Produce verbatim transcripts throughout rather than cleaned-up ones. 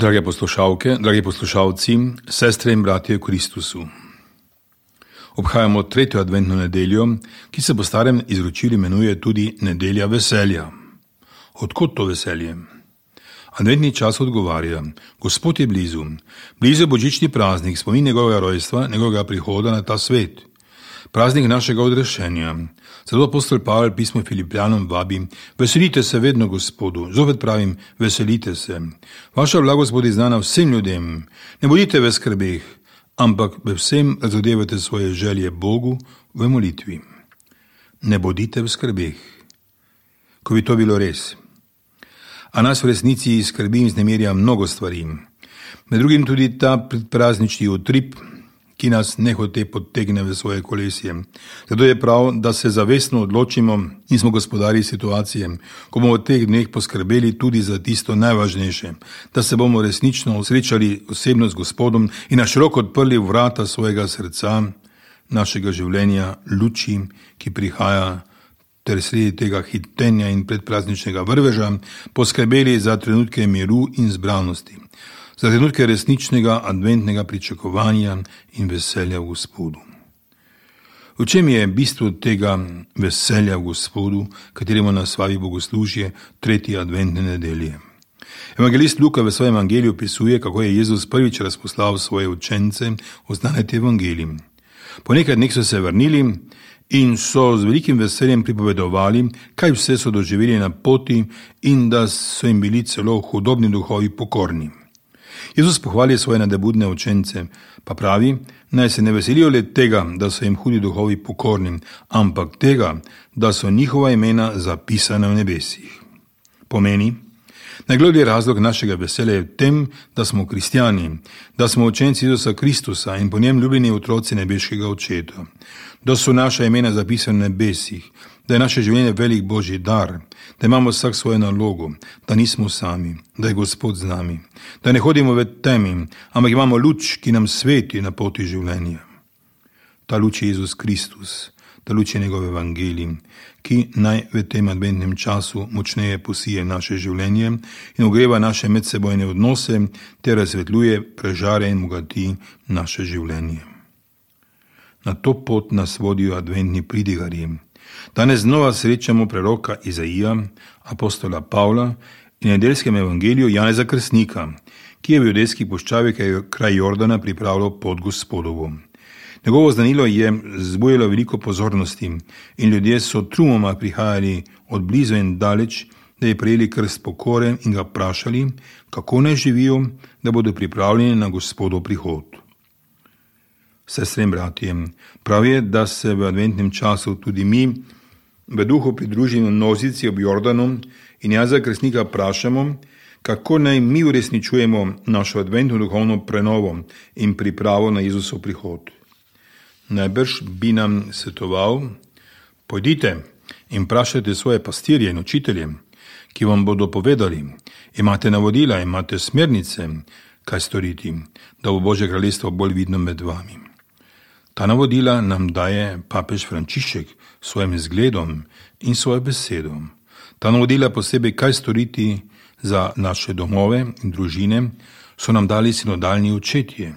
Drage poslušalke, dragi poslušalci, sestre in bratje v Kristusu. Obhajamo tretjo adventno nedeljo, ki se po starem izročilu imenuje tudi nedelja veselja. Odkot to veselje? Adventni čas odgovarja: Gospod je blizu. Blizu je božični praznik, spomin njegovega rojstva, njegovega prihoda na ta svet. Praznik našega odrešenja. Zato apostol Pavel pismo Filipljanom vabi: Veselite se vedno Gospodu. Zopet pravim, veselite se. Vaša blagost bo znana vsem ljudem. Ne bodite v skrbeh, ampak v vsem razodevajte svoje želje Bogu v molitvi. Ne bodite v skrbeh. Ko bi to bilo res. A nas v resnici skrbi in vznemirja mnogo stvari. Med drugim tudi ta predpraznični utrip, ki nas nehote podtegne v svoje kolesje. Zato je prav, da se zavestno odločimo in smo gospodari situacije, ko bomo v teh dneh poskrbeli tudi za tisto najvažnejše, da se bomo resnično srečali osebno z Gospodom in na široko odprli vrata svojega srca, našega življenja, luči, ki prihaja, ter sredi tega hitenja in predprazničnega vrveža poskrbeli za trenutke miru in zbranosti, za trenutke resničnega adventnega pričakovanja in veselja v Gospodu. V čem je bistvo tega veselja v Gospodu, kateremu nas vabi bogoslužje tretje adventne nedelje? Evangelist Luka v svojem evangeliju opisuje, kako je Jezus prvič razposlal svoje učence oznaniti evangelij. Po nekaj dneh so se vrnili in so z velikim veseljem pripovedovali, kaj vse so doživeli na poti in da so jim bili celo hudobni duhovi pokorni. Jezus pohvali svoje nadebudne učence, pa pravi, naj se ne veselijo le tega, da so jim hudi duhovi pokorni, ampak tega, da so njihova imena zapisana v nebesih. Pomeni, najgloblji razlog našega veselja je v tem, da smo kristjani, da smo učenci Jezusa Kristusa in po njem ljubljeni otroci nebeškega Očeta, da so naša imena zapisana v nebesih, da je naše življenje velik Božji dar, da imamo vsak svojo nalogo, da nismo sami, da je Gospod z nami, da ne hodimo v temi, ampak imamo luč, ki nam sveti na poti življenja. Ta luč je Jezus Kristus, ta luč je njegov evangelij, ki naj v tem adventnem času močneje posije naše življenje in ogreva naše medsebojne odnose ter razsvetljuje, prežare in bogati naše življenje. Na to pot nas vodijo adventni pridigarji. Danes znova srečamo preroka Izaija, apostola Pavla in nedeljskem evangeliju Janeza Krstnika, ki je v judejski puščavi kraj Jordana pripravljal pot Gospodovu. Njegovo znanilo je zbujalo veliko pozornosti in ljudje so trumoma prihajali od blizu in daleč, da je prejeli krst pokore in ga vprašali, kako naj živijo, da bodo pripravljeni na Gospodov prihod. Sestre in bratje, prav je, da se v adventnem času tudi mi v duhu pridružimo množici ob Jordanu in Janeza Krstnika vprašamo, kako naj mi uresničujemo našo adventno duhovno prenovo in pripravo na Jezusov prihod. Najbrž bi nam svetoval: pojdite in vprašajte svoje pastirje in učitelje, ki vam bodo povedali, imate navodila, imate smernice, kaj storiti, da bo Božje kraljestvo bolj vidno med vami. Ta navodila nam daje papež Frančišek s svojim zgledom in svojo besedo. Ta navodila posebej, kaj storiti za naše domove in družine, so nam dali sinodalni očetje,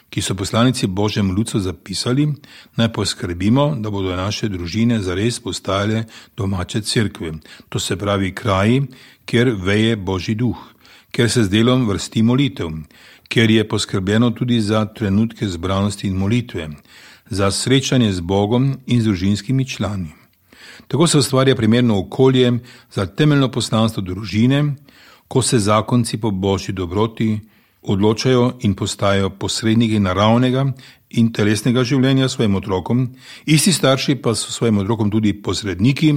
ki so poslanici Božjem ljudstvu zapisali, naj poskrbimo, da bodo naše družine zares postajale domače cerkve. To se pravi kraji, kjer veje Božji duh, kjer se z delom vrsti molitev, kjer je poskrbljeno tudi za trenutke zbranosti in molitve, za srečanje z Bogom in z družinskimi člani. Tako se ustvarja primerno okolje za temeljno poslanstvo družine, ko se zakonci po Božji dobroti odločajo in postajajo posredniki naravnega in telesnega življenja svojim otrokom, isti starši pa so svojim otrokom tudi posredniki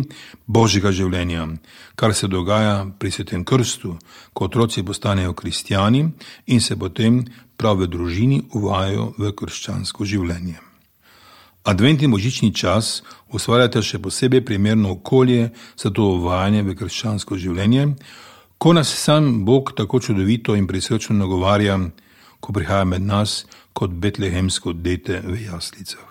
Božjega življenja, kar se dogaja pri svetem krstu, ko otroci postanejo kristjani in se potem prav v družini uvajajo v krščansko življenje. Adventni božični čas ustvarjate še posebej primerno okolje za to uvajanje v krščansko življenje, ko nas sam Bog tako čudovito in prisrčno nagovarja, ko prihaja med nas kot betlehemsko dete v jaslicah.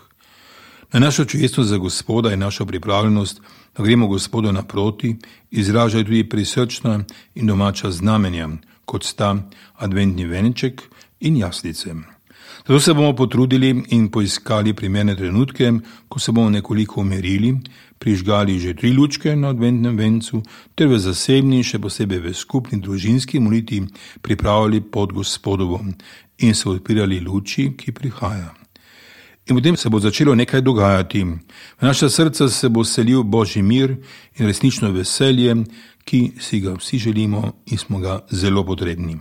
Na našo čujestvo za Gospoda in našo pripravljenost, da gremo Gospodu naproti, izražajo tudi prisrčna in domača znamenja, kot sta adventni venček in jaslice. Zato se bomo potrudili in poiskali primerne trenutke, ko se bomo nekoliko umirili, prižgali že tri lučke na adventnem vencu, ter v zasebni, še posebej v skupni družinski molitvi pripravili pod Gospodovo in se odpirali luči, ki prihaja. In potem se bo začelo nekaj dogajati. V naša srca se bo selil Božji mir in resnično veselje, ki si ga vsi želimo in smo ga zelo potrebni.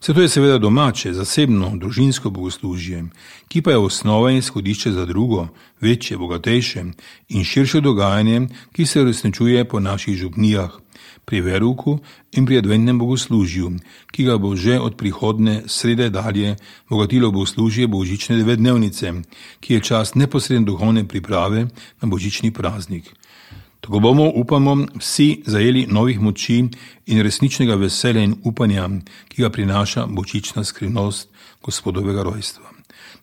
Vse to je seveda domače, zasebno, družinsko bogoslužje, ki pa je osnova in izhodišče za drugo, večje, bogatejše in širše dogajanje, ki se uresničuje po naših župnijah, pri veruku in pri adventnem bogoslužju, ki ga bo že od prihodne srede dalje bogatilo bogoslužje božične devetdnevnice, ki je čas neposredne duhovne priprave na božični praznik. Tako bomo, upamo, vsi zajeli novih moči in resničnega veselja in upanja, ki ga prinaša božična skrivnost Gospodovega rojstva.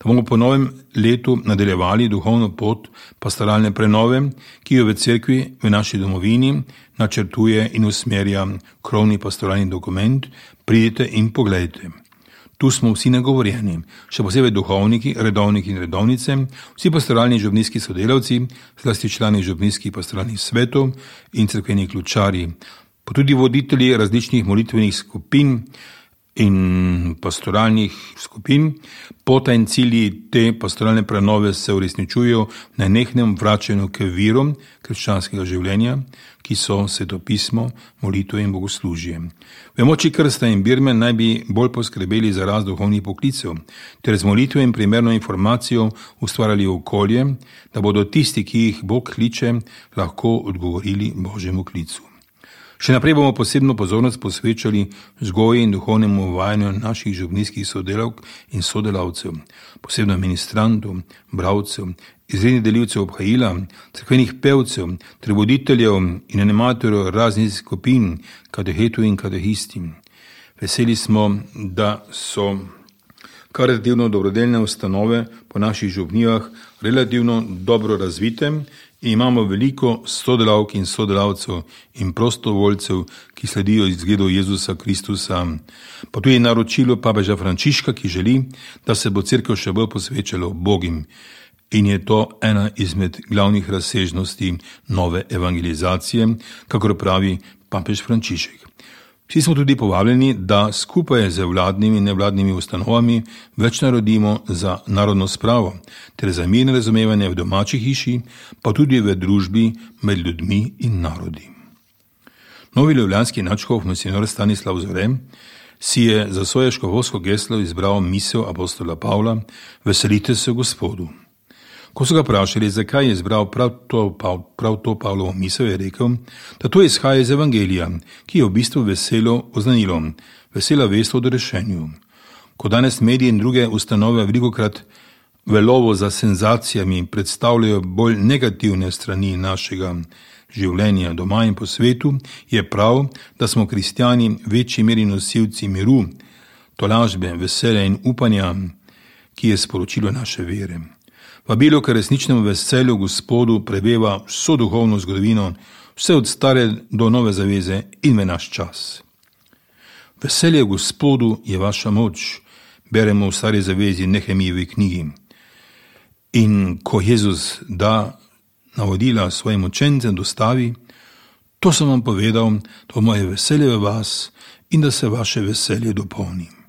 Da bomo po novem letu nadaljevali duhovno pot pastoralne prenove, ki jo v cerkvi v naši domovini načrtuje in usmerja krovni pastoralni dokument Pridite in poglejte. Tu smo vsi nagovorjeni, še posebej duhovniki, redovniki in redovnice, vsi pastoralni župnijski sodelavci, zlasti člani župnijskih pastoralnih svetov in cerkveni ključari, pa tudi voditelji različnih molitvenih skupin in pastoralnih skupin. Pota in cilji te pastoralne prenove se uresničujejo na nenehnem vračanju k virom krščanskega življenja, ki so svetopismo, molitve in bogoslužje. V moči krsta in birme naj bi bolj poskrbeli za rast duhovnih poklicev, ter z molitve in primerno informacijo ustvarjali okolje, da bodo tisti, ki jih Bog kliče, lahko odgovorili Božjemu klicu. Še naprej bomo posebno pozornost posvečali vzgoji in duhovnemu uvajanju naših župnijskih sodelavk in sodelavcev, posebno ministrantov, bravcev, izrednih delivcev obhajila, cerkvenih pevcev, ter voditeljev in animatorjev raznih skupin, katehetov in katehisti. Veseli smo, da so karitativno dobrodelne ustanove po naših župnijah relativno dobro razvite in imamo veliko sodelavk in sodelavcev in prostovoljcev, ki sledijo izgledu Jezusa Kristusa, pa tudi naročilo papeža Frančiška, ki želi, da se bo cerkev še bolj posvečala Bogim. In je to ena izmed glavnih razsežnosti nove evangelizacije, kakor pravi papež Frančišek. Vsi smo tudi povabljeni, da skupaj z vladnimi in nevladnimi ustanovami več naredimo za narodno spravo ter za mirno razumevanje v domači hiši, pa tudi v družbi med ljudmi in narodi. Novi ljubljanski nadškof monsinjor Stanislav Zore si je za svoje škofovsko geslo izbral misel apostola Pavla: Veselite se Gospodu. Ko so ga vprašali, zakaj je izbral prav to, prav to Pavlovo misel, je rekel, da to izhaja iz evangelija, ki je v bistvu veselo oznanilo, vesela vest o odrešenju. Ko danes mediji in druge ustanove velikokrat v lovu za senzacijami predstavljajo bolj negativne strani našega življenja doma in po svetu, je prav, da smo kristjani večji meri nosilci miru, tolažbe, veselja in upanja, ki je sporočilo naše vere. Vabilo k resničnemu veselju Gospodu preveva vso duhovno zgodovino, vse od stare do nove zaveze in v naš čas. Veselje Gospodu je vaša moč, beremo v stari zavezi Nehemijevi knjigi. In ko Jezus da navodila svojim učencem dostavi, to sem vam povedal, to moje veselje v vas in da se vaše veselje dopolni.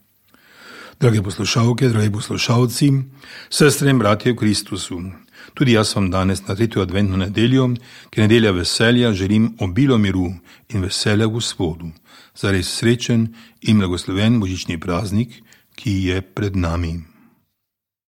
Drage poslušalke, dragi poslušalci, sestre in bratje v Kristusu, tudi jaz vam danes na tretjo adventno nedeljo, ki je nedelja veselja, želim obilo miru in veselja Gospodu, zares srečen in blagosloven božični praznik, ki je pred nami.